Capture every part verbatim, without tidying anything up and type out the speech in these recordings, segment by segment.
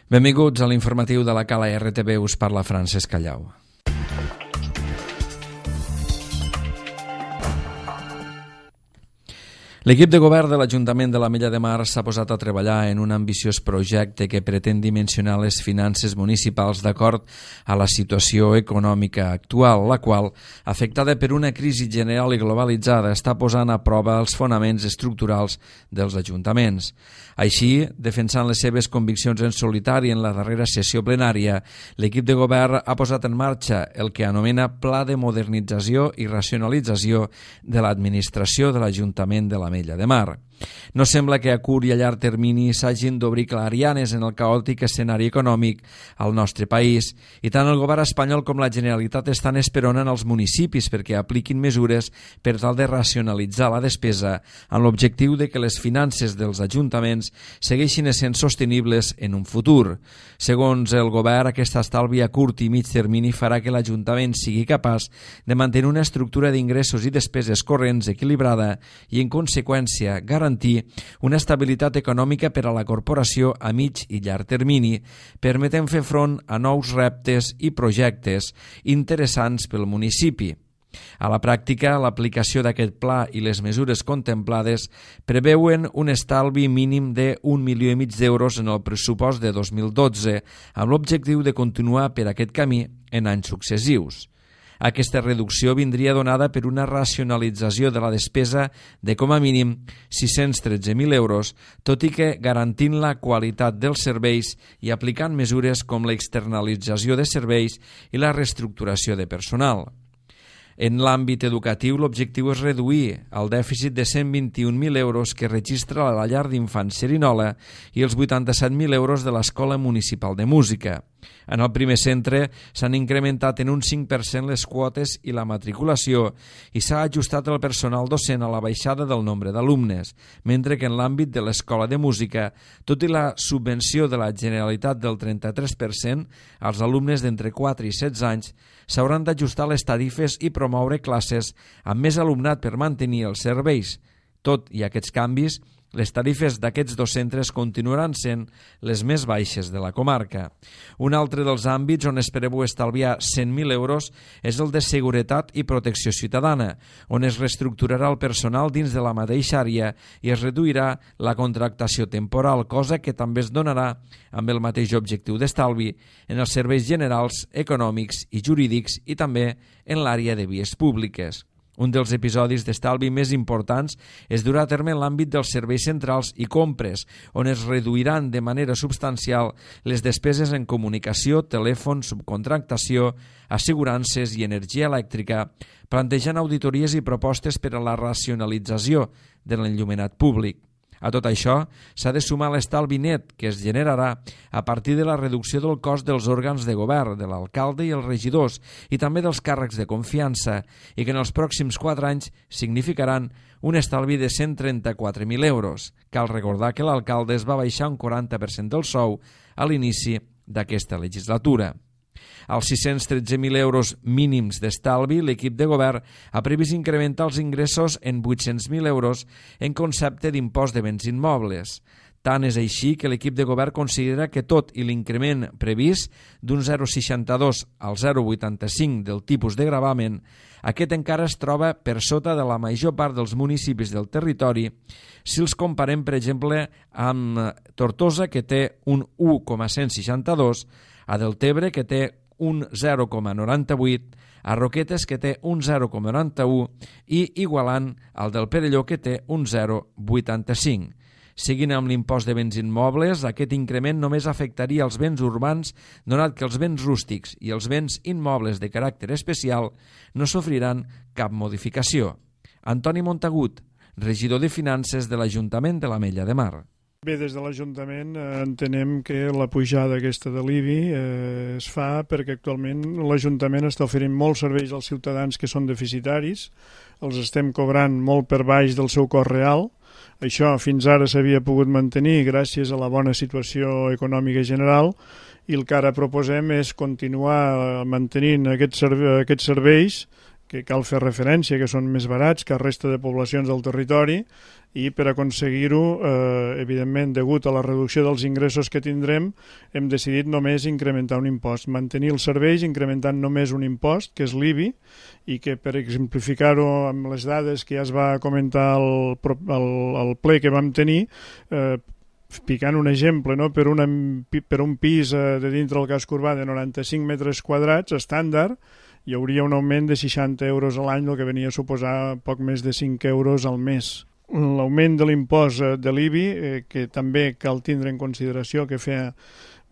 Benvinguts a l'informatiu de la Cala R T V, us parla Francesc Callau. L'equip de govern de l'Ajuntament de l'Ametlla de Mar s'ha posat a treballar en un ambiciós projecte que pretén dimensionar les finances municipals d'acord a la situació econòmica actual, la qual, afectada per una crisi general i globalitzada, està posant a prova els fonaments estructurals dels ajuntaments. Així, defensant les seves conviccions en solitari en la darrera sessió plenària, l'equip de govern ha posat en marxa el que anomena Pla de Modernització i Racionalització de l'Administració de l'Ajuntament de l'Ametlla de Mar. No sembla que a curt i a llarg termini s'hagin d'obrir clarianes en el caòtic escenari econòmic al nostre país i tant el govern espanyol com la Generalitat estan esperonant els municipis perquè apliquin mesures per tal de racionalitzar la despesa amb l'objectiu de que les finances dels ajuntaments segueixin essent sostenibles en un futur. Segons el govern, aquest estalvi a curt i mig termini farà que l'Ajuntament sigui capaç de mantenir una estructura d'ingressos i despeses corrents equilibrada i, en conseqüència, garantir una estabilitat econòmica per a la corporació a mig i llarg termini, permetent fer front a nous reptes i projectes interessants pel municipi. A la pràctica, l'aplicació d'aquest pla i les mesures contemplades preveuen un estalvi mínim d'un milió i mig d'euros en el pressupost de dos mil dotze, amb l'objectiu de continuar per aquest camí en anys successius. Aquesta reducció vindria donada per una racionalització de la despesa de com a mínim sis-cents tretze mil euros, tot i que garantint la qualitat dels serveis i aplicant mesures com l'externalització de serveis i la reestructuració de personal. En l'àmbit educatiu, l'objectiu és reduir el dèficit de cent vint-i-un mil euros que registra la llar d'infants Cerinola i els vuitanta-set mil euros de l'Escola Municipal de Música. En el primer centre s'han incrementat en un cinc per cent les quotes i la matriculació i s'ha ajustat el personal docent a la baixada del nombre d'alumnes, mentre que en l'àmbit de l'Escola de Música, tot i la subvenció de la Generalitat del trenta-tres per cent, als alumnes d'entre quatre i setze anys s'hauran d'ajustar les tarifes i promoure classes amb més alumnat per mantenir els serveis. Tot i aquests canvis, les tarifes d'aquests dos centres continuaran sent les més baixes de la comarca. Un altre dels àmbits on es preveu estalviar cent mil euros és el de seguretat i protecció ciutadana, on es reestructurarà el personal dins de la mateixa àrea i es reduirà la contractació temporal, cosa que també es donarà amb el mateix objectiu d'estalvi en els serveis generals, econòmics i jurídics i també en l'àrea de vies públiques. Un dels episodis d'estalvi més importants es durà a terme en l'àmbit dels serveis centrals i compres, on es reduiran de manera substancial les despeses en comunicació, telèfon, subcontractació, assegurances i energia elèctrica, plantejant auditories i propostes per a la racionalització de l'enllumenat públic. A tot això s'ha de sumar l'estalvi net que es generarà a partir de la reducció del cost dels òrgans de govern, de l'alcalde i els regidors, i també dels càrrecs de confiança, i que en els pròxims quatre anys significaran un estalvi de cent trenta-quatre mil euros. Cal recordar que l'alcalde es va baixar un quaranta per cent del sou a l'inici d'aquesta legislatura. Als sis-cents tretze mil euros mínims d'estalvi, l'equip de govern ha previst incrementar els ingressos en vuit-cents mil euros en concepte d'impost de béns immobles. Tant és així que l'equip de govern considera que tot i l'increment previst d'un zero coma seixanta-dos al zero coma vuitanta-cinc del tipus de gravamen, aquest encara es troba per sota de la major part dels municipis del territori si els comparem, per exemple, amb Tortosa, que té un u coma cent seixanta-dos, a Deltebre, que té un zero coma noranta-vuit, a Roquetes, que té un zero coma noranta-u, i igualant el del Perelló, que té un zero coma vuitanta-cinc. Seguint amb l'impost de béns immobles, aquest increment només afectaria els béns urbans, donat que els béns rústics i els béns immobles de caràcter especial no sofriran cap modificació. Antoni Montagut, regidor de Finances de l'Ajuntament de l'Ametlla de Mar. Bé, des de l'Ajuntament eh, entenem que la pujada aquesta de l'I B I eh, es fa perquè actualment l'Ajuntament està oferint molts serveis als ciutadans que són deficitaris, els estem cobrant molt per baix del seu cost real. Això fins ara s'havia pogut mantenir gràcies a la bona situació econòmica general i el que ara proposem és continuar mantenint aquests, serve aquests serveis que cal fer referència, que són més barats que la resta de poblacions del territori, i per aconseguir-ho, eh, evidentment, degut a la reducció dels ingressos que tindrem, hem decidit només incrementar un impost, mantenir els serveis incrementant només un impost, que és l'I B I, i que, per exemplificar-ho amb les dades que ja es va comentar al, al, al ple que vam tenir, eh, picant un exemple, no? per, una, per un pis eh, de dintre del casc urbà de noranta-cinc metres quadrats estàndard, hi hauria un augment de seixanta euros a l'any, el que venia a suposar poc més de cinc euros al mes. L'augment de l'impost de l'I B I, eh, que també cal tindre en consideració que feia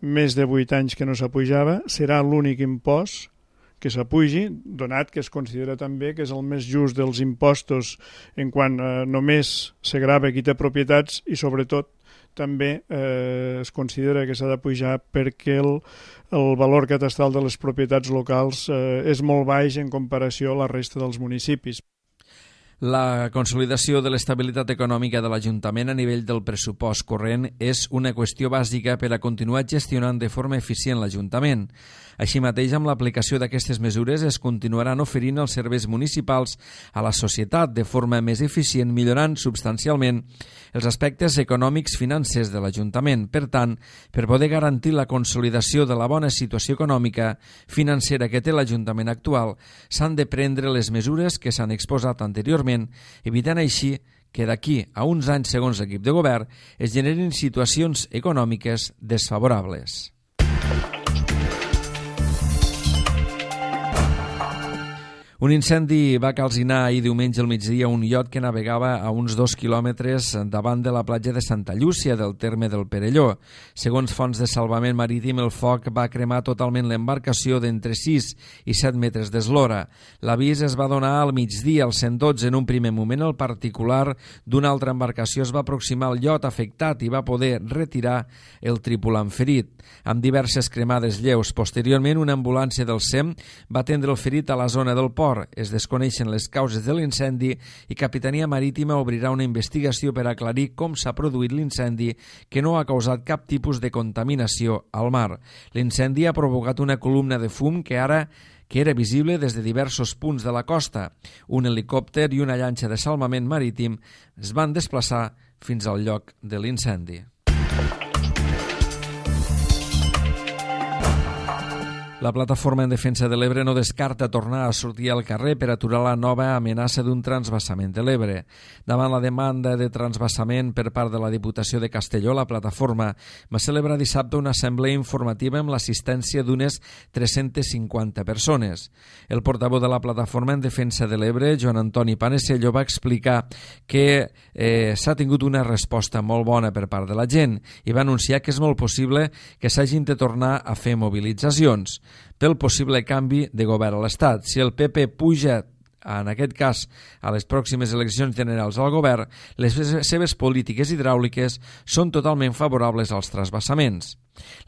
més de vuit anys que no s'apujava, serà l'únic impost que s'apugi, donat que es considera també que és el més just dels impostos en quant eh, només se grava qui té propietats i sobretot també eh, es considera que s'ha de pujar perquè el, el valor catastral de les propietats locals eh, és molt baix en comparació a la resta dels municipis. La consolidació de l'estabilitat econòmica de l'Ajuntament a nivell del pressupost corrent és una qüestió bàsica per a continuar gestionant de forma eficient l'Ajuntament. Així mateix, amb l'aplicació d'aquestes mesures es continuaran oferint els serveis municipals a la societat de forma més eficient, millorant substancialment els aspectes econòmics financers de l'Ajuntament. Per tant, per poder garantir la consolidació de la bona situació econòmica financera que té l'Ajuntament actual, s'han de prendre les mesures que s'han exposat anteriorment, evitant així que d'aquí a uns anys, segons l'equip de govern, es generin situacions econòmiques desfavorables. Un incendi va calcinar ahir diumenge al migdia un iot que navegava a uns dos quilòmetres davant de la platja de Santa Llúcia del terme del Perelló. Segons fonts de salvament marítim, el foc va cremar totalment l'embarcació d'entre sis i set metres d'eslora. L'avís es va donar al migdia al cent dotze. En un primer moment, el particular d'una altra embarcació es va aproximar al iot afectat i va poder retirar el tripulant ferit. Amb diverses cremades lleus, posteriorment una ambulància del S E M va atendre el ferit a la zona del port. Es desconeixen les causes de l'incendi i Capitania Marítima obrirà una investigació per aclarir com s'ha produït l'incendi, que no ha causat cap tipus de contaminació al mar. L'incendi ha provocat una columna de fum que ara que era visible des de diversos punts de la costa. Un helicòpter i una llanxa de salvament marítim es van desplaçar fins al lloc de l'incendi. La Plataforma en Defensa de l'Ebre no descarta tornar a sortir al carrer per aturar la nova amenaça d'un transvasament de l'Ebre. Davant la demanda de transvasament per part de la Diputació de Castelló, la Plataforma va celebrar dissabte una assemblea informativa amb l'assistència d'unes tres-centes cinquanta persones. El portaveu de la Plataforma en Defensa de l'Ebre, Joan Antoni Panesello, va explicar que eh, s'ha tingut una resposta molt bona per part de la gent i va anunciar que és molt possible que s'hagin de tornar a fer mobilitzacions pel possible canvi de govern a l'Estat. Si el P P puja, en aquest cas, a les pròximes eleccions generals al govern, les seves polítiques hidràuliques són totalment favorables als transvasaments.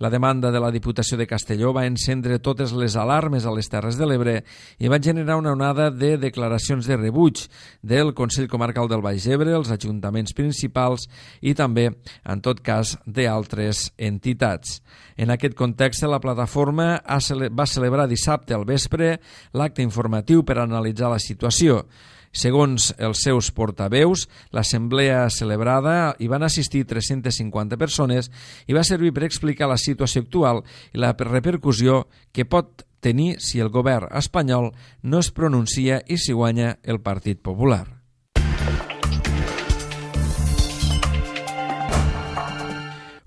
La demanda de la Diputació de Castelló va encendre totes les alarmes a les Terres de l'Ebre i va generar una onada de declaracions de rebuig del Consell Comarcal del Baix Ebre, els ajuntaments principals i també, en tot cas, d'altres entitats. En aquest context, la plataforma va celebrar dissabte al vespre l'acte informatiu per analitzar la situació. Segons els seus portaveus, l'assemblea celebrada hi van assistir tres-centes cinquanta persones i va servir per explicar la situació actual i la repercussió que pot tenir si el govern espanyol no es pronuncia i si guanya el Partit Popular.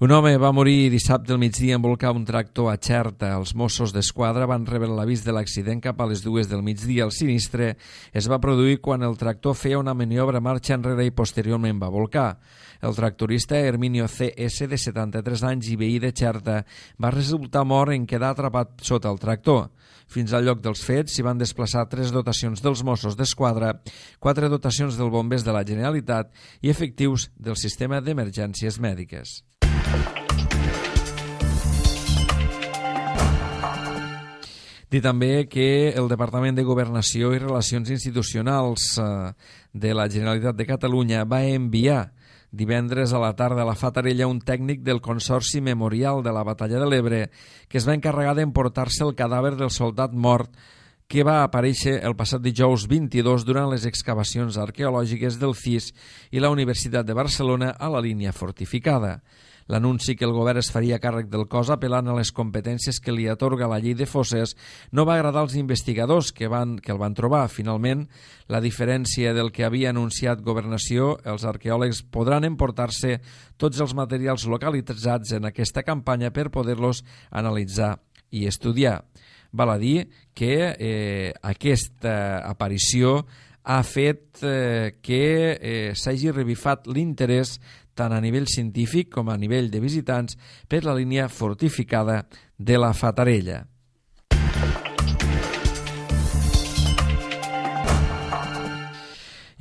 Un home va morir dissabte al migdia en volcar un tractor a Xerta. Els Mossos d'Esquadra van rebre l'avís de l'accident cap a les dues del migdia. El sinistre es va produir quan el tractor feia una maniobra marxa enrere i posteriorment va volcar. El tractorista Herminio C S, de setanta-tres anys i veí de Xerta, va resultar mort en quedar atrapat sota el tractor. Fins al lloc dels fets s'hi van desplaçar tres dotacions dels Mossos d'Esquadra, quatre dotacions del Bombers de la Generalitat i efectius del Sistema d'Emergències Mèdiques. Dir també que el Departament de Governació i Relacions Institucionals de la Generalitat de Catalunya va enviar divendres a la tarda a la Fatarella un tècnic del Consorci Memorial de la Batalla de l'Ebre que es va encarregar d'emportar-se el cadàver del soldat mort que va aparèixer el passat dijous vint-i-dos durant les excavacions arqueològiques del C I S i la Universitat de Barcelona a la línia fortificada. L'anunci que el govern es faria càrrec del cos apel·lant a les competències que li atorga la llei de fosses no va agradar als investigadors que, van, que el van trobar. Finalment, la diferència del que havia anunciat Governació, els arqueòlegs podran emportar-se tots els materials localitzats en aquesta campanya per poder-los analitzar i estudiar. Val a dir que eh, aquesta aparició ha fet eh, que eh, s'hagi revifat l'interès tant a nivell científic com a nivell de visitants per la línia fortificada de la Fatarella.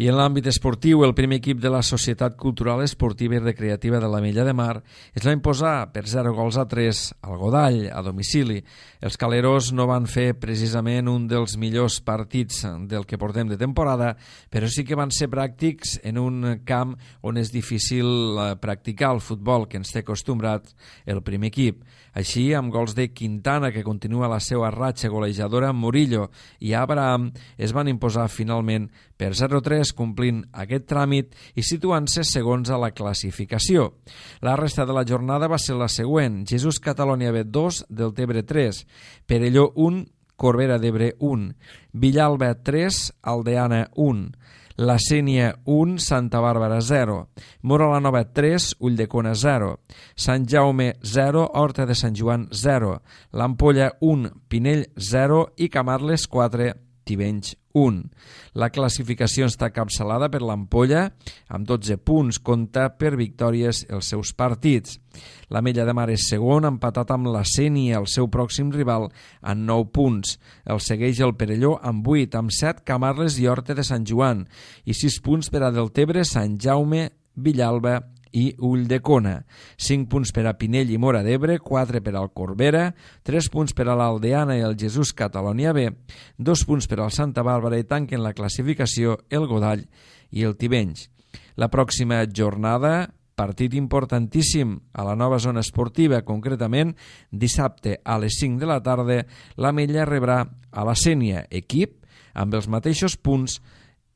I en l'àmbit esportiu, el primer equip de la Societat Cultural Esportiva i Recreativa de l'Ametlla de Mar es va imposar per zero gols a tres al Godall, a domicili. Els caleros no van fer precisament un dels millors partits del que portem de temporada, però sí que van ser pràctics en un camp on és difícil practicar el futbol que ens té acostumbrats el primer equip. Així, amb gols de Quintana, que continua la seva ratxa golejadora, Murillo i Abraham es van imposar finalment per zero a tres, complint aquest tràmit i situant-se segons a la classificació. La resta de la jornada va ser la següent: Jesús Catalonia B dos, Deltebre tres, Perelló un, Corbera d'Ebre un, Villalba tres, Aldeana un, La Sénia un, Santa Bàrbara zero, Mora la Nova tres, Ulldecona zero, Sant Jaume zero, Horta de Sant Joan zero, l'Ampolla un, Pinell zero i Camarles quatre, Tivenys un. La classificació està capçalada per l'Ampolla, amb dotze punts, compta per victòries els seus partits. L'Ametlla de Mar és segon, empatat amb la Sénia, el seu pròxim rival, amb nou punts. El segueix el Perelló amb vuit, amb set Camarles i Horta de Sant Joan, i sis punts per a Deltebre, Sant Jaume, Villalba i Ulldecona. cinc punts per a Pinell i Mora d'Ebre, quatre per al Corbera, tres punts per a l'Aldeana i el Jesús Catalonia B, dos punts per al Santa Bàrbara i tanquen la classificació el Godall i el Tivenys. La pròxima jornada, partit importantíssim a la nova zona esportiva, concretament dissabte a les cinc de la tarda, l'Ametlla rebrà a la Sénia, equip amb els mateixos punts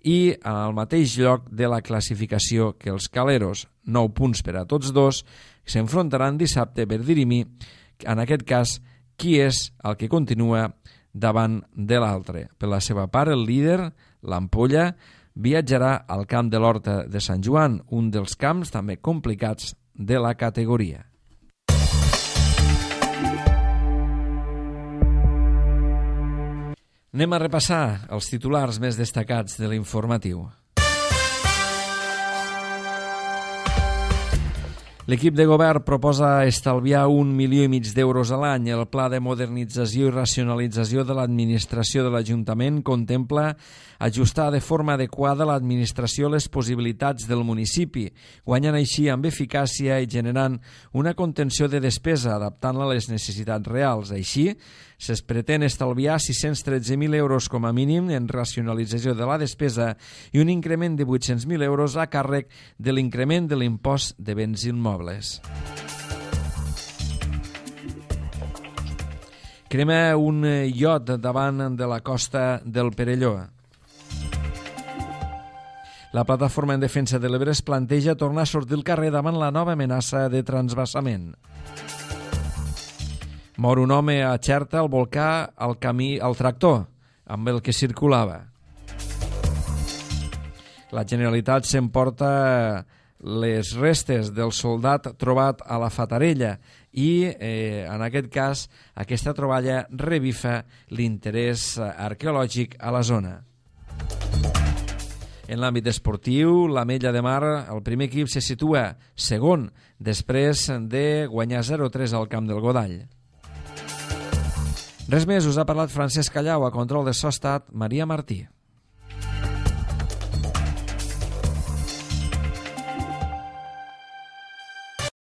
i en el mateix lloc de la classificació que els caleros, nou punts per a tots dos, s'enfrontaran dissabte per dirimir, en aquest cas, qui és el que continua davant de l'altre. Per la seva part, el líder, l'Ampolla, viatjarà al camp de l'Horta de Sant Joan, un dels camps també complicats de la categoria. Anem a repassar els titulars més destacats de l'informatiu. L'equip de govern proposa estalviar un milió i mig d'euros a l'any. El pla de modernització i racionalització de l'administració de l'Ajuntament contempla ajustar de forma adequada l'administració a les possibilitats del municipi, guanyant així amb eficàcia i generant una contenció de despesa, adaptant-la a les necessitats reals. Així, se's pretén estalviar sis-cents tretze mil euros com a mínim en racionalització de la despesa i un increment de vuit-cents mil euros a càrrec de l'increment de l'impost de béns immobles. Crema un iot davant de la costa del Perelló. La plataforma en defensa de l'Ebre es planteja tornar a sortir al carrer davant la nova amenaça de transvasament. Mor un home a Xerta al volcà al camí al tractor amb el que circulava. La Generalitat s'emporta les restes del soldat trobat a la Fatarella i, eh, en aquest cas, aquesta troballa revifa l'interès arqueològic a la zona. En l'àmbit esportiu, l'Ametlla de Mar, el primer equip se situa segon després de guanyar zero a tres al camp del Godall. Res més, us ha parlat Francesc Callau, a control de so ha estat Maria Martí.